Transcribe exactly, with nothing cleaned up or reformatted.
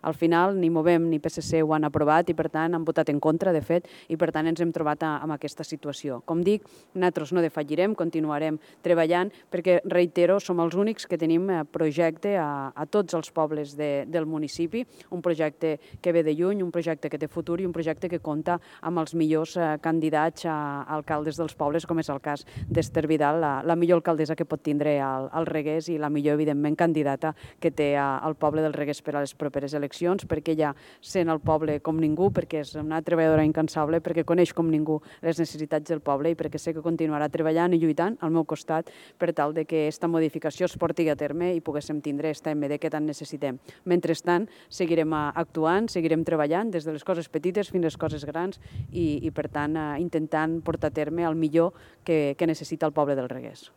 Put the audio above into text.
Al final ni Movem ni P S C ho han aprovat i, per tant, han votat en contra, de fet, i, per tant, ens hem trobat amb aquesta situació. Com dic, nosaltres no defallirem, continuarem treballant, perquè, reitero, som els únics que tenim projecte a, a tots els pobles de, del municipi, un projecte que ve de lluny, un projecte que té futur i un projecte que compta amb els millors eh, candidats a alcaldes dels pobles, com és el cas d'Ester Vidal, la, la millor alcaldessa que pot tindre al, al Reguers i la millor, evidentment, candidata que té al poble del Reguers per a les properes eleccions, perquè ella sent el poble com ningú, perquè és una treballadora incansable, perquè coneix com ningú les necessitats del poble i perquè sé que continuarà treballant i lluitant al meu costat per tal de que aquesta modificació es porti a terme i poguéssim tindre aquesta M D que tant necessitem. Mentrestant, seguirem actuant, seguirem treballant des de les coses petites fins a les coses grans i, i per tant, intentant portar a terme el millor que, que necessita el poble del Reguers.